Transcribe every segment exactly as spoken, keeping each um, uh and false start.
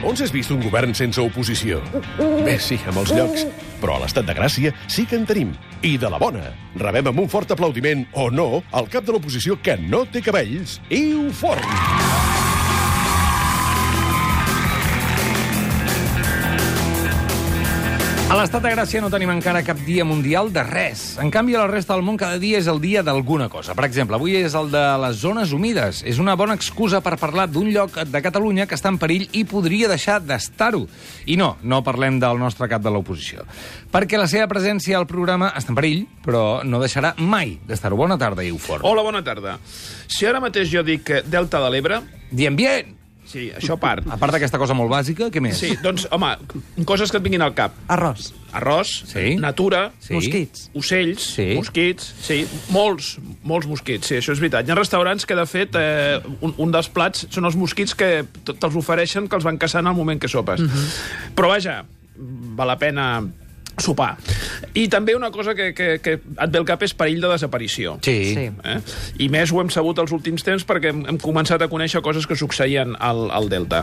On s'has vist un govern sense oposició? Bé, sí, a molts llocs. Però a l'estat de Gràcia sí que en tenim. I de la bona. Rebem amb un fort aplaudiment, o no, el cap de l'oposició que no té cabells, Iu Forn. A l'estat de Gràcia no tenim encara cap dia mundial de res. En canvi, a la resta del món cada dia és el dia d'alguna cosa. Per exemple, avui és el de les zones humides. És una bona excusa per parlar d'un lloc de Catalunya que està en perill i podria deixar d'estar-ho. I no, no parlem del nostre cap de l'oposició. Perquè la seva presència al programa està en perill, però no deixarà mai d'estar-ho. Bona tarda, Iu Forn. Hola, bona tarda. Si ara mateix jo dic Delta de l'Ebre... Diem bien! Sí, això a part. A part d'aquesta cosa molt bàsica, què més? Sí, doncs, home, coses que et vinguin al cap. Arròs. Arròs, sí. Natura, sí. Mosquits. Ocells, sí. mosquits, sí, molts, molts mosquits, sí, això és veritat. Hi ha restaurants que, de fet, eh, un, un dels plats són els mosquits que te'ls ofereixen, que els van caçant al moment que sopes. Uh-huh. Però, vaja, val la pena sopar. I també una cosa que, que, que et ve al cap és perill de desaparició. Sí. Sí. Eh? I més ho hem sabut els últims temps perquè hem, hem començat a conèixer coses que succeïen al, al Delta.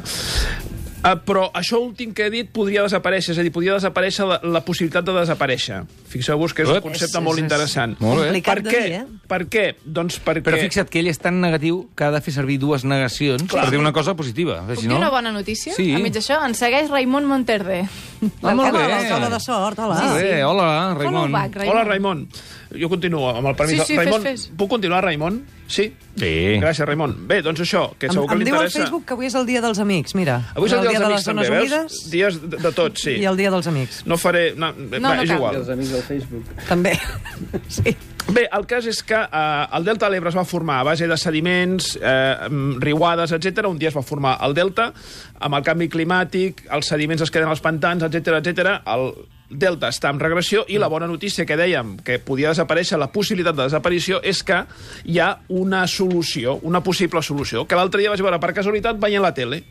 Uh, però això últim que he dit podria desaparèixer, és a dir, podria desaparèixer la, la possibilitat de desaparèixer. Fixeu-vos que és un concepte és, molt és, interessant. Molt bé. Complicat Per de què? dir, eh? Per què? Doncs perquè... Però fixa't que ell és tan negatiu que ha de fer servir dues negacions Clar. per dir una cosa positiva. Puc Si dir no... una bona notícia? Sí. A mig d'això, ens segueix Raimon Monterde. Ah, molt bé. L'alcalde de Sort, hola. Molt bé, hola, Raimon. Com ho va, Raimon? Hola, Raimon. Jo continuo amb el permís. Sí, sí, Raimon, fes, fes. puc continuar, Raimon? Sí? Sí. Gràcies, Raimon. Bé, doncs això, que Em, segur que em li diu al interessa... Facebook que avui és el dia dels amics, mira. Avui és el dia dels de amics, les zones també, humides veus? Dies de, de tots, sí. i el dia dels amics. No faré... No, No, va, no és cal. igual. Els amics del Facebook. També. Sí. Bé, el cas és que eh, el Delta de l'Ebre es va formar a base de sediments, eh, riuades, etcètera. Un dia es va formar el Delta, amb el canvi climàtic, els sediments es queden als pantans, etcètera, etcètera. El Delta està en regressió i la bona notícia que dèiem que podia desaparèixer, la possibilitat de desaparició, és que hi ha una solució, una possible solució, que l'altre dia vaig veure per casualitat veient la tele,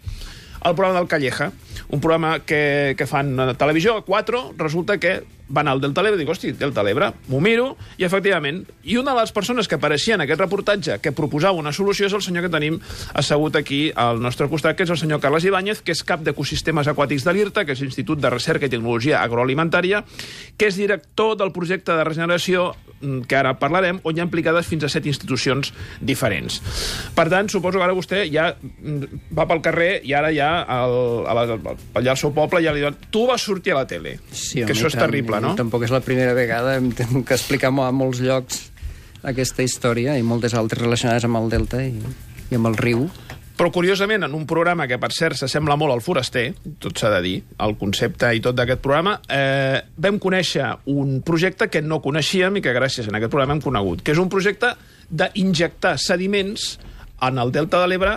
el programa del Calleja, un programa que, que fan a televisió, a quatre, resulta que van al Delta de l'Ebre i dic, hosti, Delta de l'Ebre, m'ho miro, i efectivament, i una de les persones que apareixia en aquest reportatge que proposava una solució és el senyor que tenim assegut aquí al nostre costat, que és el senyor Carles Ibáñez, que és cap d'Ecosistemes Aquàtics de l'I R T A, que és l'Institut de Recerca i Tecnologia Agroalimentària, que és director del projecte de regeneració, que ara parlarem, on hi ha implicades fins a set institucions diferents. Per tant, suposo que ara vostè ja va pel carrer i ara ja al, a la, allà al seu poble ja li diuen, tu vas sortir a la tele, Sí, que home, això és tant, terrible, no? Tampoc és la primera vegada, hem tingut que explicar a molts llocs aquesta història i moltes altres relacionades amb el Delta i, i amb el riu. Però, curiosament, en un programa que, per cert, s'assembla molt al Foraster, tot s'ha de dir, el concepte i tot d'aquest programa, eh, vam conèixer un projecte que no coneixíem i que gràcies a aquest programa hem conegut, que és un projecte d'injectar sediments en el Delta de l'Ebre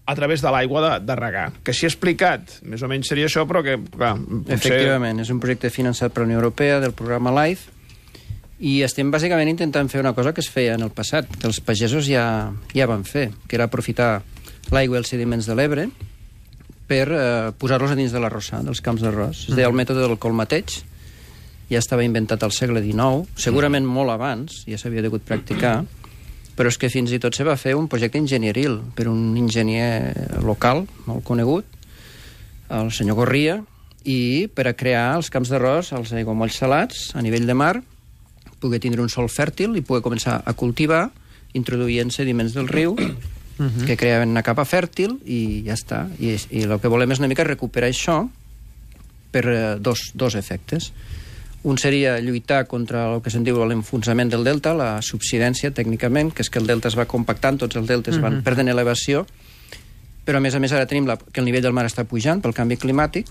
a través de l'aigua de, de regar. Que si he explicat, més o menys seria això, però que, clar, potser... Efectivament, és un projecte finançat per la Unió Europea del programa LIFE i estem bàsicament intentant fer una cosa que es feia en el passat, que els pagesos ja, ja van fer, que era aprofitar l'aigua i els sediments de l'Ebre per eh, posar-los a dins de l'arrossar, dels camps d'arròs. Es deia el mètode del colmateig, ja estava inventat al segle dinou, segurament molt abans, ja s'havia degut practicar, però és que fins i tot se va fer un projecte enginyeril per un enginyer local, molt conegut, el senyor Gorria, i per a crear els camps d'arròs, els aiguamolls salats, a nivell de mar, poder tindre un sòl fèrtil i poder començar a cultivar, introduint sediments del riu, Uh-huh. que creaven una capa fèrtil i ja està. I, i el que volem és una mica recuperar això per eh, dos, dos efectes. Un seria lluitar contra el que se'n diu l'enfonsament del delta, la subsidència tècnicament, que és que el delta es va compactant, tots els deltes uh-huh. van perdent elevació, però a més a més ara tenim la, que el nivell del mar està pujant pel canvi climàtic,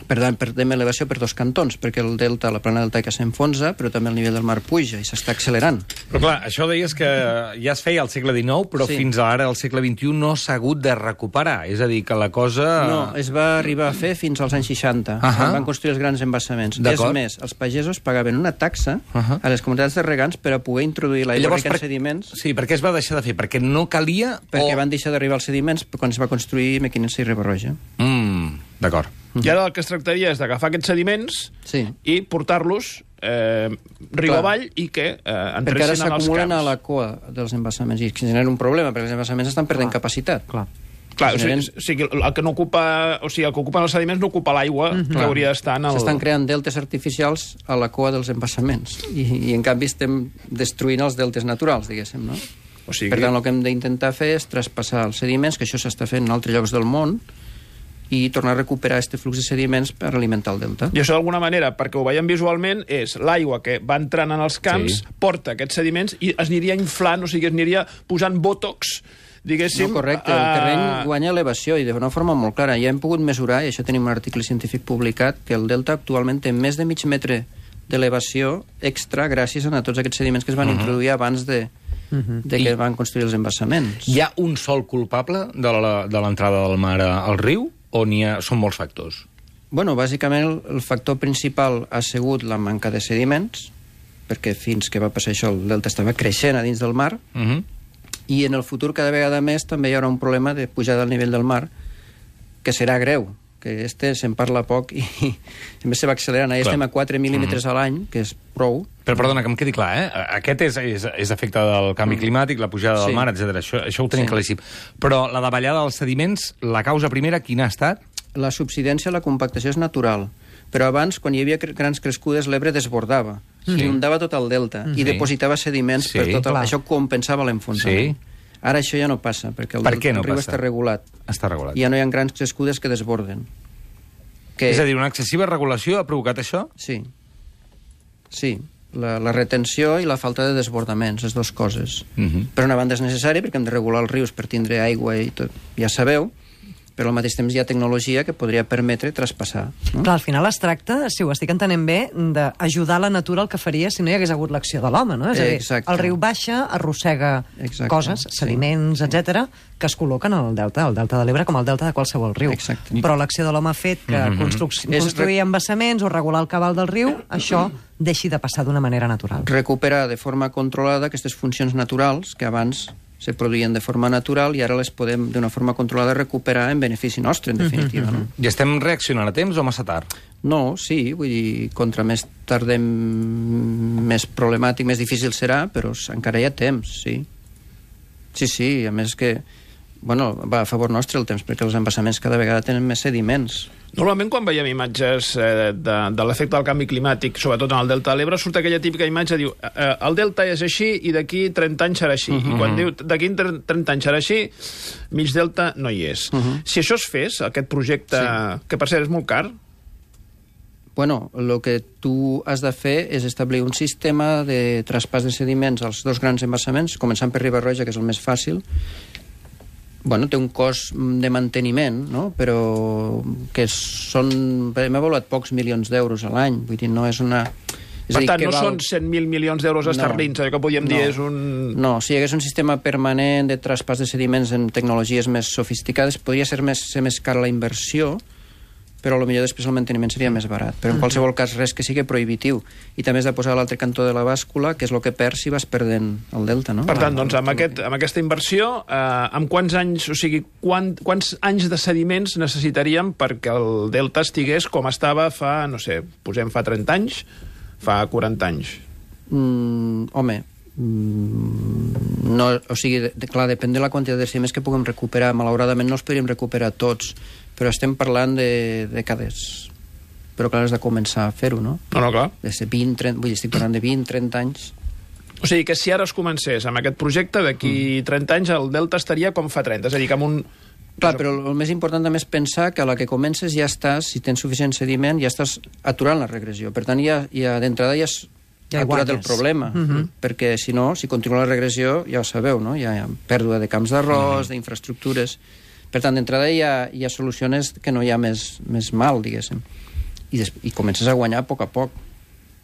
per tant perdem elevació per dos cantons, perquè el delta, la plana deltaica s'enfonsa, però també el nivell del mar puja i s'està accelerant. Però clar, això deies que ja es feia al segle dinou, però Sí. fins ara, al segle vint-i-u, no s'ha hagut de recuperar. És a dir, que la cosa... No, es va arribar a fer fins als anys seixanta, Ahà. quan van construir els grans embassaments. És D'acord. més, els pagesos pagaven una taxa Ahà. a les comunitats de regants per a poder introduir l'aigua rica en per- sediments, Sí, per què es va deixar de fer? Perquè no calia... perquè o... van deixar d'arribar els sediments quan es va construir Mequinensa i Riba-roja. Mm, d'acord. I ara el que es tractaria és d'agafar aquests sediments Sí. i portar-los eh, riu Clar. avall i que eh, Perquè ara entressin en els s'acumulen camps. a la cua dels embassaments i generen un problema, perquè els embassaments estan perdent Clar. capacitat. Clar. Clar, o sigui, generen... o sigui, el que no ocupa, o sigui, el que ocupen els sediments no ocupa l'aigua mm -hmm. que hauria d'estar en el... S'estan creant deltes artificials a la cua dels embassaments i, i en canvi estem destruint els deltes naturals, diguéssim, no? O sigui... Per tant, el que hem d'intentar fer és traspassar els sediments, que això s'està fent en altres llocs del món, i tornar a recuperar aquest flux de sediments per alimentar el delta. I això d'alguna manera, perquè ho veiem visualment, és l'aigua que va entrant en els camps, sí. porta aquests sediments i es aniria inflant, o sigui, es aniria posant botox, diguéssim... No, correcte, el terreny guanya elevació i d'una forma molt clara. Ja hem pogut mesurar, i això tenim un article científic publicat, que el delta actualment té més de mig metre d'elevació extra gràcies a tots aquests sediments que es van uh -huh. introduir abans de, uh -huh. de que I... van construir els embassaments. Hi ha un sol culpable de l'entrada del mar al riu o n'hi ha... són molts factors? Bueno, bàsicament el factor principal ha sigut la manca de sediments, perquè fins que va passar això el delta estava creixent a dins del mar, uh -huh. i en el futur cada vegada més també hi haurà un problema de pujada al nivell del mar que serà greu, que este se'n parla poc i, i a més se va accelerant. Ara estem a quatre mil·límetres uh -huh. a l'any, que és prou. Però perdona, que em quedi clar, eh? Aquest és, és, és efecte del canvi climàtic, la pujada del sí. mar, etcètera. Això, això ho tenim sí. claríssim. Però la davallada dels sediments, la causa primera, quina ha estat? La subsidència, la compactació és natural. Però abans, quan hi havia grans crescudes, l'Ebre desbordava. Sí. Inundava tot el delta sí. i depositava sediments sí. per tot el... Clar. Això compensava l'enfonsament. Sí. Ara això ja no passa, perquè el, per què no el riu passa? està regulat. Està regulat. I ja no hi ha grans crescudes que desborden. Que... És a dir, una excessiva regulació ha provocat això? Sí. Sí. La, la retenció i la falta de desbordaments, les dues coses. Uh -huh. Per una banda és necessari, perquè hem de regular els rius per tindre aigua i tot, ja sabeu, però al mateix temps hi ha tecnologia que podria permetre traspassar. No? Clar, al final es tracta, si ho estic entenent bé, d'ajudar la natura el que faria si no hi hagués hagut l'acció de l'home, no? És a dir, Exacte. el riu baixa, arrossega Exacte. coses, sediments, sí. etcètera, que es col·loquen al delta, al delta de l'Ebre com al delta de qualsevol riu. Exacte. Però l'acció de l'home ha fet que mm-hmm. constru construir embassaments o regular el cabal del riu, això deixi de passar d'una manera natural. Recuperar de forma controlada aquestes funcions naturals que abans se produïen de forma natural i ara les podem d'una forma controlada recuperar en benefici nostre, en definitiva. No? I estem reaccionant a temps o massa tard? No, sí, vull dir, contra més tardem més problemàtic, més difícil serà, però encara hi ha temps, sí. Sí, sí, a més que bueno, va a favor nostre el temps, perquè els embassaments cada vegada tenen més sediments. Normalment, quan veiem imatges eh, de, de l'efecte del canvi climàtic, sobretot en el delta de l'Ebre, surt aquella típica imatge, diu, eh, el delta és així i d'aquí trenta anys serà així. Uh -huh. I quan diu, d'aquí trenta anys serà així, mig delta no hi és. Uh -huh. Si això es fes, aquest projecte, sí. que per cert és molt car... Bueno, el que tu has de fer és establir un sistema de traspàs de sediments als dos grans embassaments, començant per Riba-roja, que és el més fàcil. Bueno, té un cost de manteniment, no? Però que són... Hem avaluat pocs milions d'euros a l'any, vull dir, no és una... És per tant, no val... són cent mil milions d'euros esterlins, allò que podríem no. dir és un... No, si hi hagués un sistema permanent de traspàs de sediments en tecnologies més sofisticades, podria ser més, ser més cara la inversió, però potser després el manteniment seria més barat. Però en qualsevol cas res que sigui prohibitiu. I també has de posar a l'altre cantó de la bàscula, que és el que perds si vas perdent el delta, no? Per tant, doncs, amb, aquest, amb aquesta inversió, eh, amb quants anys, o sigui, quant, quants anys de sediments necessitaríem perquè el delta estigués com estava fa, no sé, posem fa trenta anys, fa quaranta anys? Mm, home, mm, no, o sigui, de, de, clar, depèn de la quantitat de sediments que puguem recuperar. Malauradament no els podríem recuperar tots, però estem parlant de dècades. Però clar, has de començar a fer-ho, no? No, no, clar. De vint, trenta, vull dir, estic parlant de vint, trenta anys. O sigui, que si ara es comencés amb aquest projecte, d'aquí trenta anys el delta estaria com fa trenta, és a dir, que amb un... Clar, però el més important també és pensar que a la que comences ja estàs, si tens suficient sediment, ja estàs aturant la regressió. Per tant, ja, ja d'entrada ja has ja aturat el problema, uh -huh. perquè si no, si continua la regressió, ja ho sabeu, no? Hi ha, hi ha pèrdua de camps d'arròs, uh -huh. d'infraestructures... Per tant, d'entrada hi ha, hi ha solucions que no hi ha més, més mal, diguéssim. I, des, I comences a guanyar a poc a poc.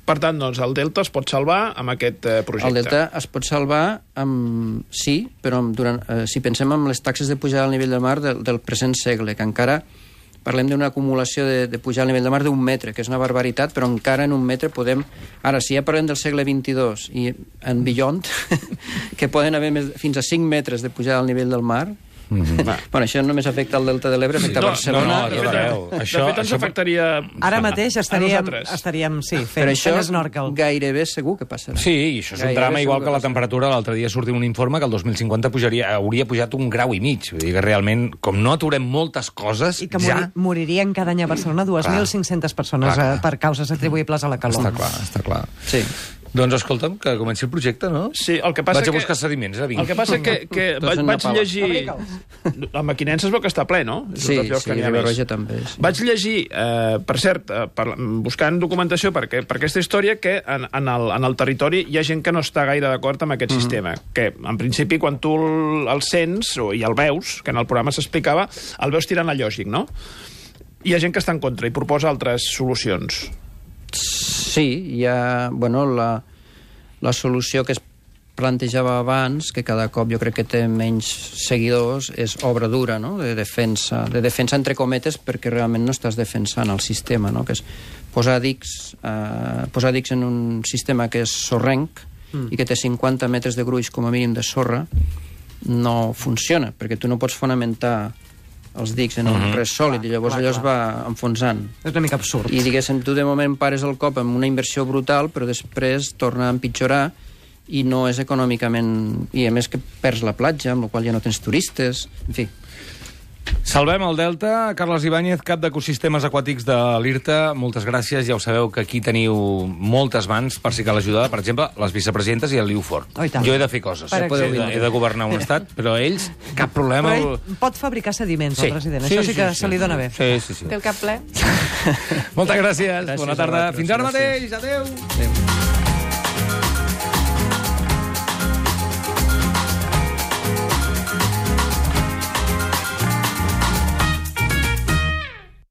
Per tant, doncs, el delta es pot salvar amb aquest eh, projecte. El delta es pot salvar amb... Sí, però amb, durant, eh, si pensem en les taxes de pujada al nivell del mar del, del present segle, que encara parlem d'una acumulació de, de pujada al nivell del mar d'un metre, que és una barbaritat, però encara en un metre podem... Ara, si ja parlem del segle vint-i-dos i en beyond, que poden haver més, fins a cinc metres de pujada al nivell del mar, Mm-hmm. Bueno, això només afecta el Delta de l'Ebre, afecta No, Barcelona. no, no, de ja fet, veieu. de Això- fet, ens això- afectaria... Ara mateix estaríem, nosaltres. estaríem sí, Però fent, això fent snorkel. gairebé segur que passarà. Sí, i això és un Gairebé drama, segur igual que que la passa. temperatura. L'altre dia sortia un informe que el dos mil cinquanta pujaria, hauria pujat un grau i mig. Vull dir que realment, com no aturem moltes coses, I que ja... mori, moririen cada any a Barcelona dues mil cinc-centes persones Clar, clar. eh, per causes atribuïbles a la calor. Està clar, està clar. Sí. Doncs escolta'm, que comenci el projecte, no? Sí, el que passa Vaig a que... buscar sediments, eh, vinc. El que passa que, que Tots vaig, en vaig Nepal. llegir... La Maquinensa es veu que està ple, no? És Sí, un dels llocs sí, que n'hi ha més. Riba-roja també. Sí. Vaig llegir, eh, per cert, eh, per, buscant documentació per, per aquesta història, que en, en, el, en el territori hi ha gent que no està gaire d'acord amb aquest mm. sistema. Que, en principi, quan tu el, el sents o, i el veus, que en el programa s'explicava, el veus tirant a lògic, no? Hi ha gent que està en contra i proposa altres solucions. Sí, hi ha... Bueno, la, la solució que es plantejava abans, que cada cop jo crec que té menys seguidors, és obra dura, no?, de defensa, de defensa entre cometes, perquè realment no estàs defensant el sistema, no?, que és posar dics, eh, posar dics en un sistema que és sorrenc mm. i que té cinquanta metres de gruix com a mínim de sorra, no funciona, perquè tu no pots fonamentar els dics en un mm-hmm. res sòlid, i llavors clar, allò es clar. va enfonsant. És una mica absurd. I, diguéssim, tu de moment pares el cop amb una inversió brutal, però després torna a empitjorar i no és econòmicament... I a més que perds la platja, amb la qual ja no tens turistes, en fi. Salvem el Delta. Carles Ibáñez, cap d'Ecosistemes Aquàtics de l'IRTA, moltes gràcies. Ja ho sabeu que aquí teniu moltes mans per si cal ajuda. Per exemple, les vicepresidentes i el Liu Fort. Oh, i tant. Jo he de fer coses. Per He de, exemple. he de governar un estat, però ells, cap problema. Però ell pot fabricar sediments, Sí. el president. Sí, Això sí sí, que sí, se li dona sí. bé. Sí, sí, sí. Té el cap ple. Moltes gràcies. Gràcies Bona a tarda. vosaltres. Fins ara Gràcies. mateix. Adéu. Adéu.